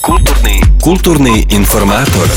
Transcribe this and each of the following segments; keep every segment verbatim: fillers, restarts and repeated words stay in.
Kulturni, kulturni informator.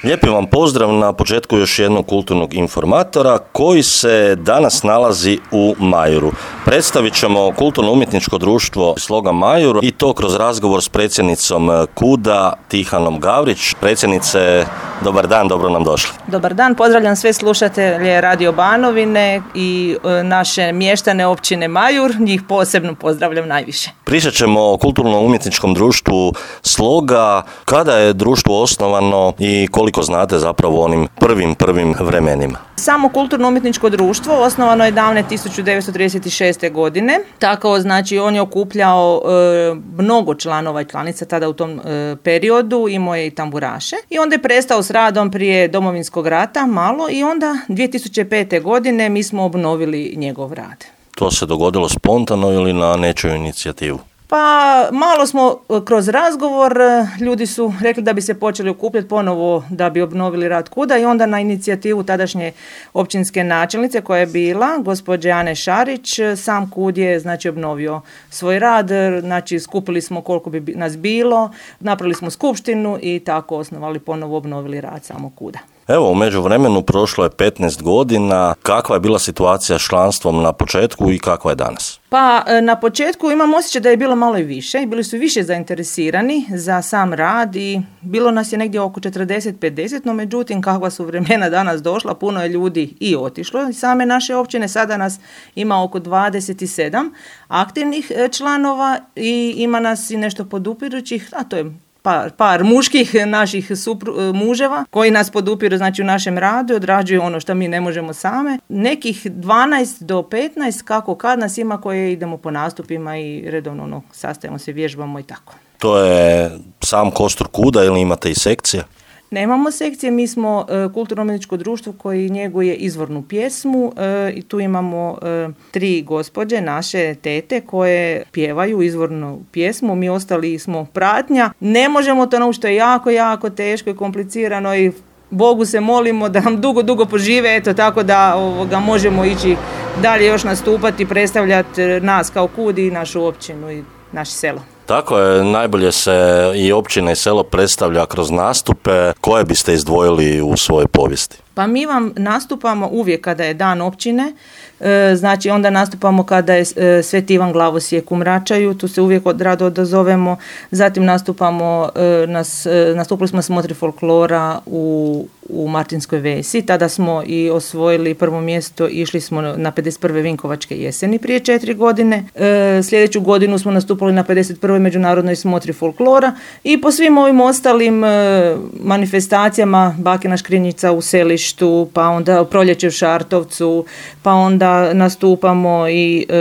Lijepi vam pozdrav na početku još jednog kulturnog informatora koji se danas nalazi u Majuru. Predstavit ćemo kulturno-umjetničko društvo Sloga Majur i to kroz razgovor s predsjednicom KUD-a Tihanom Gavrić. Predsjednice, dobar dan, dobro nam došli. Dobar dan, pozdravljam sve slušatelje Radio Banovine i e, naše mještane općine Majur, njih posebno pozdravljam najviše. Pričat ćemo o kulturno-umjetničkom društvu Sloga, kada je društvo osnovano i koliko znate zapravo o onim prvim, prvim vremenima. Samo kulturno-umjetničko društvo osnovano je davne tisuću devetsto trideset šeste. godine. Tako, znači, on je okupljao e, mnogo članova i članica tada u tom e, periodu, imao je i tamburaše. I onda je prestao s radom prije Domovinskog rata malo i onda dvije tisuće pete. godine mi smo obnovili njegov rad. To se dogodilo spontano ili na nečiju inicijativu? Pa malo smo kroz razgovor, ljudi su rekli da bi se počeli okupljati ponovo da bi obnovili rad KUD-a i onda na inicijativu tadašnje općinske načelnice koja je bila, gospođe Ane Šarić, sam KUD je znači obnovio svoj rad, znači skupili smo koliko bi nas bilo, napravili smo skupštinu i tako osnovali ponovo obnovili rad samog KUD-a. Evo, u međuvremenu prošlo je petnaest godina. Kakva je bila situacija s članstvom na početku i kakva je danas? Pa na početku imam osjećaj da je bilo malo i više. Bili su više zainteresirani za sam rad i bilo nas je negdje oko četrdeset do pedeset, no međutim kakva su vremena danas došla, puno je ljudi i otišlo. Same naše općine, sada nas ima oko dvadeset sedam aktivnih članova i ima nas i nešto podupirućih, a to je Par, par muških naših supru, muževa koji nas podupiru znači u našem radu i odrađuju ono što mi ne možemo same. Nekih dvanaest do petnaest kako kad nas ima koje idemo po nastupima i redovno ono, sastajemo se, vježbamo i tako. To je sam kostur KUD-a ili imate i sekcije? Nemamo sekcije, mi smo e, kulturno-umjetničko društvo koji njeguje izvornu pjesmu e, i tu imamo e, tri gospođe, naše tete koje pjevaju izvornu pjesmu, mi ostali smo pratnja. Ne možemo to naučiti, to je jako, jako teško i komplicirano i Bogu se molimo da nam dugo, dugo požive, eto tako da ovoga, možemo ići dalje još nastupati, predstavljati nas kao KUD i našu općinu i naše selo. Tako je, najbolje se i općina i selo predstavlja kroz nastupe. Koje biste izdvojili u svojoj povijesti? Pa mi vam nastupamo uvijek kada je dan općine, e, znači onda nastupamo kada je e, Sveti Ivan Glavosijek u Mračaju, tu se uvijek od, rado odazovemo, zatim nastupamo, e, nas, e, nastupili smo smotri folklora u, u Martinskoj Vesi, tada smo i osvojili prvo mjesto, išli smo na pedeset prve Vinkovačke jeseni prije četiri godine, e, sljedeću godinu smo nastupili na pedeset prvoj Međunarodnoj smotri folklora i po svim ovim ostalim e, manifestacijama Bakina Škrinjica u Selištu, pa onda Proljeće u Šartovcu, pa onda nastupamo i e,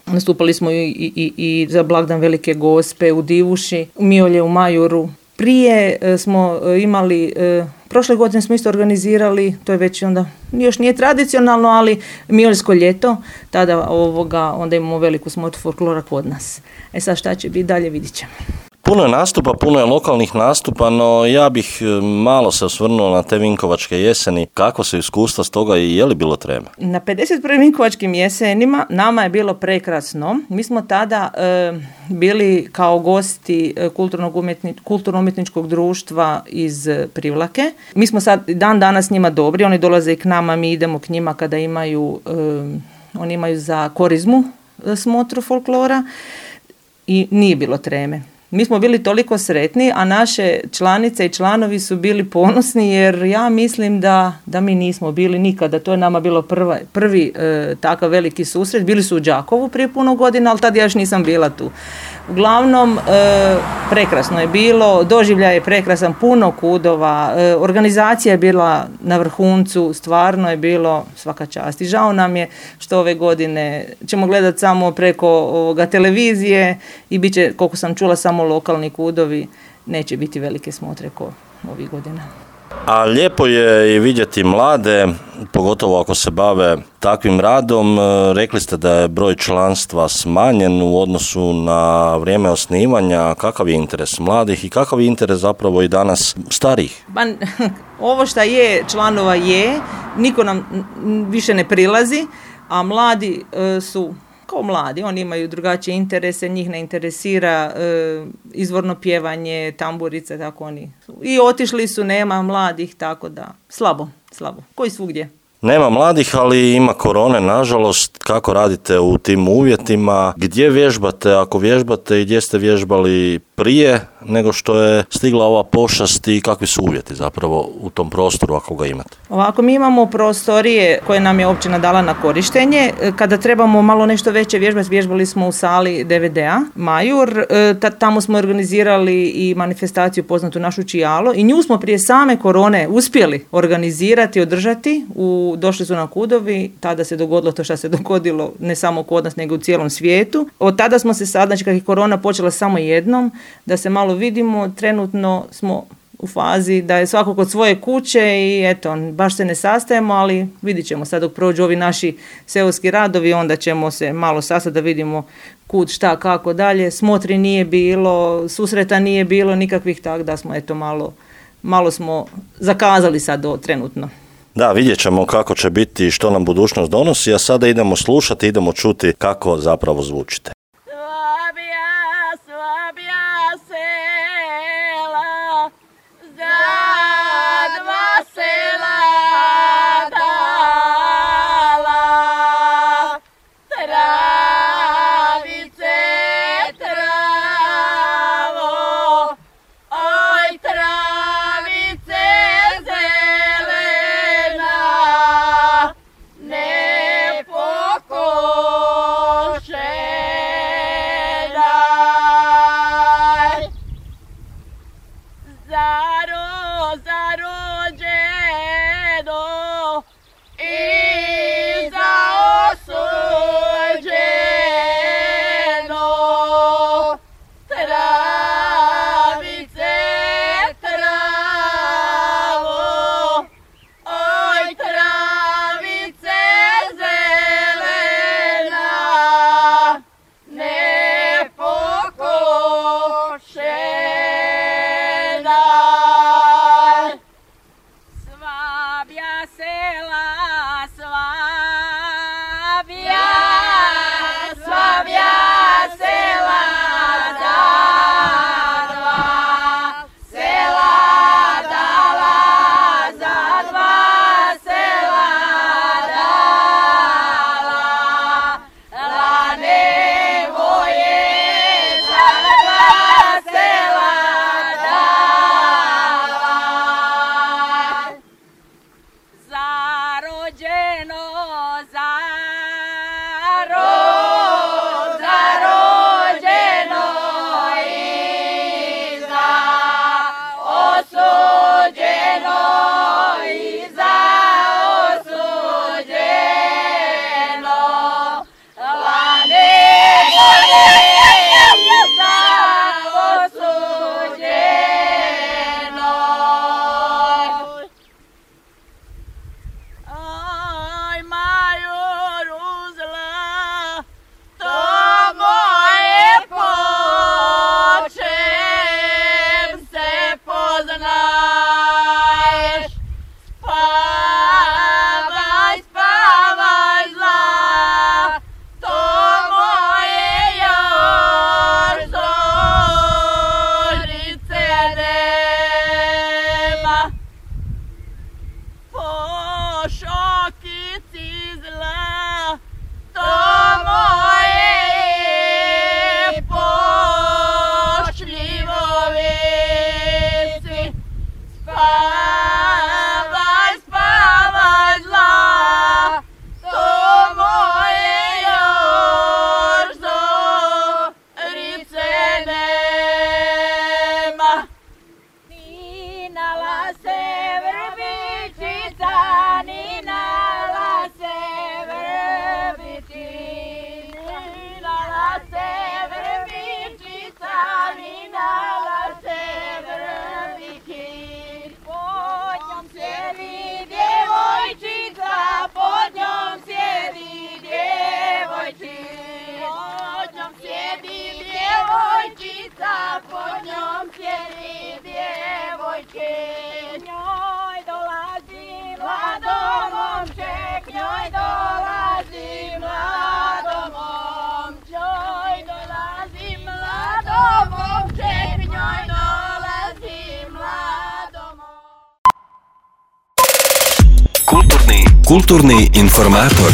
nastupali smo i, i, i za blagdan Velike Gospe u Divuši, Miolje u Majuru. Prije e, smo imali, e, prošle godine smo isto organizirali, to je već onda, još nije tradicionalno, ali Mioljsko ljeto, tada ovoga, onda imamo veliku smotru folklora kod nas. E sad šta će biti dalje, vidit ćemo. Puno je nastupa, puno je lokalnih nastupa, no ja bih malo se osvrnuo na te Vinkovačke jeseni. Kako se iskustva s toga i je li bilo treme? Na pedeset prvim Vinkovačkim jesenima nama je bilo prekrasno. Mi smo tada e, bili kao gosti kulturno-umjetničkog društva iz Privlake. Mi smo sad dan danas njima dobri, oni dolaze i k nama, mi idemo k njima kada imaju, e, oni imaju za korizmu smotru folklora i nije bilo treme. Mi smo bili toliko sretni, a naše članice i članovi su bili ponosni jer ja mislim da, da mi nismo bili nikada. To je nama bilo prva, prvi e, takav veliki susret. Bili su u Đakovu prije puno godina, ali tad ja još nisam bila tu. Uglavnom, e, prekrasno je bilo, doživljaj je prekrasan, puno kudova, e, organizacija je bila na vrhuncu, stvarno je bilo svaka čast. I žao nam je što ove godine ćemo gledati samo preko ovoga televizije i bit će, koliko sam čula, samo lokalni kudovi, neće biti velike smotre ko ovih godina. A lijepo je i vidjeti mlade, pogotovo ako se bave takvim radom. Rekli ste da je broj članstva smanjen u odnosu na vrijeme osnivanja. Kakav je interes mladih i kakav je interes zapravo i danas starih? Ba, ovo što je članova je, niko nam više ne prilazi, a mladi e, su kao mladi, oni imaju drugačije interese, njih ne interesira e, izvorno pjevanje, tamburice, tako oni. I otišli su, nema mladih, tako da slabo, slabo, koji svugdje. Nema mladih, ali ima korone, nažalost. Kako radite u tim uvjetima? Gdje vježbate, ako vježbate, i gdje ste vježbali prije nego što je stigla ova pošast i kakvi su uvjeti zapravo u tom prostoru ako ga imate? Ovako, mi imamo prostorije koje nam je općina dala na korištenje. Kada trebamo malo nešto veće vježbati, vježbali smo u sali D V D-a Majur. Tamo smo organizirali i manifestaciju poznatu našu Čijalo i nju smo prije same korone uspjeli organizirati, održati. U, došli su nam kudovi, tada se dogodilo to što se dogodilo ne samo kod nas nego u cijelom svijetu. Od tada smo se sad, znači kad je korona počela samo jednom, da se malo vidimo, trenutno smo u fazi da je svako kod svoje kuće i eto, baš se ne sastajemo, ali vidit ćemo sad dok prođu ovi naši seoski radovi, onda ćemo se malo sastati da vidimo kud, šta, kako dalje. Smotri nije bilo, susreta nije bilo nikakvih, tako da smo eto malo, malo smo zakazali sad do trenutno. Da, vidjet ćemo kako će biti i što nam budućnost donosi, a sada idemo slušati, idemo čuti kako zapravo zvučite. Ne pokoše Kulturni informator.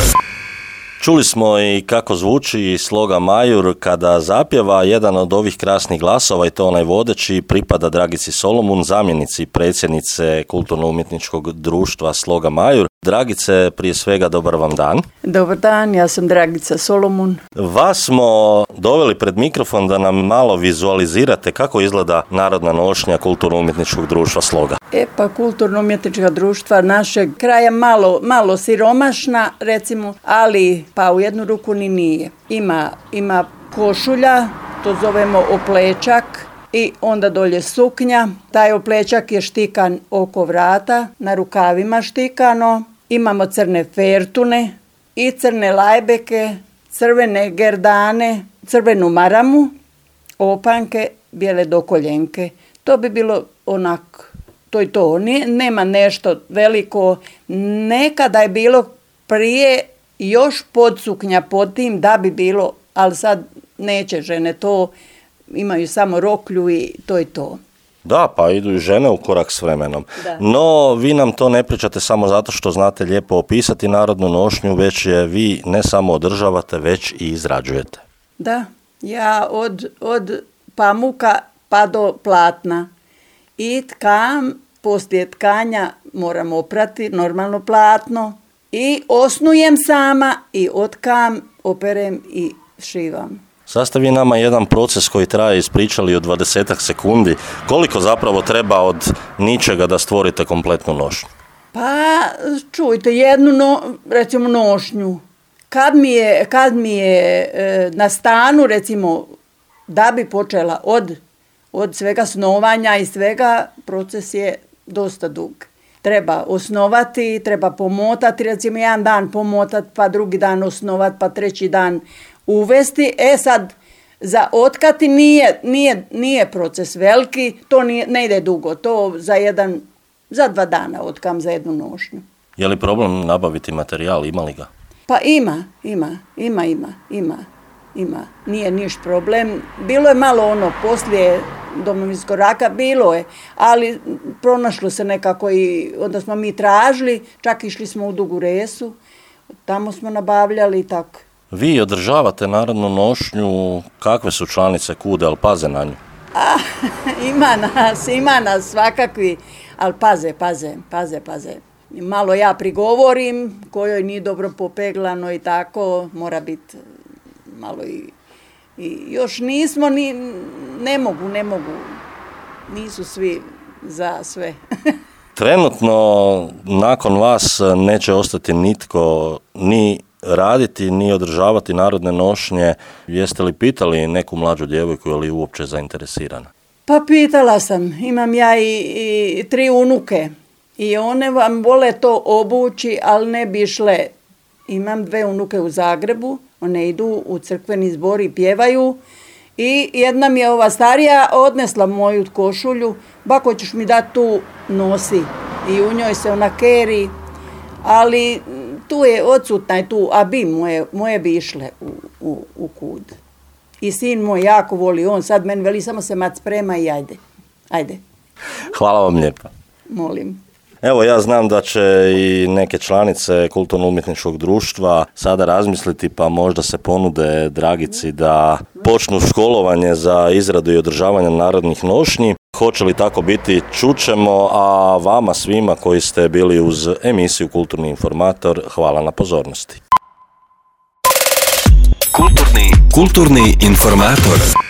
Čuli smo i kako zvuči sloga Majur kada zapjeva. Jedan od ovih krasnih glasova, i to onaj vodeći, pripada Dragici Solomun, zamjenici predsjednice Kulturno-umjetničkog društva Sloga Majur. Dragice, prije svega dobar vam dan. Dobar dan, ja sam Dragica Solomun. Vas smo doveli pred mikrofon da nam malo vizualizirate kako izgleda narodna nošnja Kulturno-umjetničkog društva Sloga. E pa Kulturno-umjetnička društva našeg kraja malo, malo siromašna, recimo, ali pa u jednu ruku ni nije. Ima, ima košulja, to zovemo oplečak, i onda dolje suknja. Taj oplečak je štikan oko vrata, na rukavima štikano. Imamo crne fertune i crne lajbeke, crvene gerdane, crvenu maramu, opanke, bijele dokoljenke. To bi bilo onako, to i to. Nije, nema nešto veliko. Nekada je bilo prije još podsuknja pod tim da bi bilo, ali sad neće žene to, imaju samo roklju i to i to. Da, pa idu i žene u korak s vremenom. Da. No, vi nam to ne pričate samo zato što znate lijepo opisati narodnu nošnju, već je vi ne samo održavate, već i izrađujete. Da, ja od, od pamuka pa do platna. I tkam, poslije tkanja moram oprati normalno platno. I osnujem sama i otkam, operem i šivam. Sad ste vi nama jedan proces koji traje ispričali od dvadesetak sekundi. Koliko zapravo treba od ničega da stvorite kompletnu nošnju? Pa čujte, jednu no, recimo nošnju. Kad mi je, kad mi je e, na stanu, recimo, da bi počela od, od svega snovanja i svega, proces je dosta dug. Treba osnovati, treba pomotati, recimo jedan dan pomotati, pa drugi dan osnovati, pa treći dan uvesti. E sad, za otkati nije, nije, nije proces veliki, to nije, ne ide dugo, to za jedan, za dva dana otkam za jednu nošnju. Je li problem nabaviti materijal, ima li ga? Pa ima, ima, ima, ima, ima, ima, nije niš problem. Bilo je malo ono, poslije Domovinskog rata, bilo je, ali pronašlo se nekako i onda smo mi tražili, čak išli smo u Dugu Resu, tamo smo nabavljali i tako. Vi održavate narodnu nošnju, kakve su članice kude, ali paze na nju? A, ima nas, ima nas svakakvi, ali paze, paze, paze, paze. Malo ja prigovorim, kojoj nije dobro popeglano i tako, mora biti malo i, i još nismo, ni, ne mogu, ne mogu, nisu svi za sve. Trenutno, nakon vas neće ostati nitko ni raditi, ni održavati narodne nošnje. Jeste li pitali neku mlađu djevojku, je li uopće zainteresirana? Pa pitala sam, imam ja i, i tri unuke i one vam vole to obući, ali ne bi išle. Imam dve unuke u Zagrebu, one idu u crkveni zbor i pjevaju i jedna mi je ova starija odnesla moju košulju, bako ćeš mi dati tu, nosi, i u njoj se ona keri, ali tu je odsutna je tu, a bi moje, moje bi išle u, u, u kud. I sin moj jako voli, on sad meni veli samo se mat sprema i ajde, ajde. Hvala vam lijepa. Molim. Evo, ja znam da će i neke članice Kulturno-umjetničkog društva sada razmisliti, pa možda se ponude Dragici da počnu školovanje za izradu i održavanje narodnih nošnji. Hoće li tako biti, čućemo, a vama svima koji ste bili uz emisiju Kulturni informator, hvala na pozornosti. Kulturni, kulturni informator.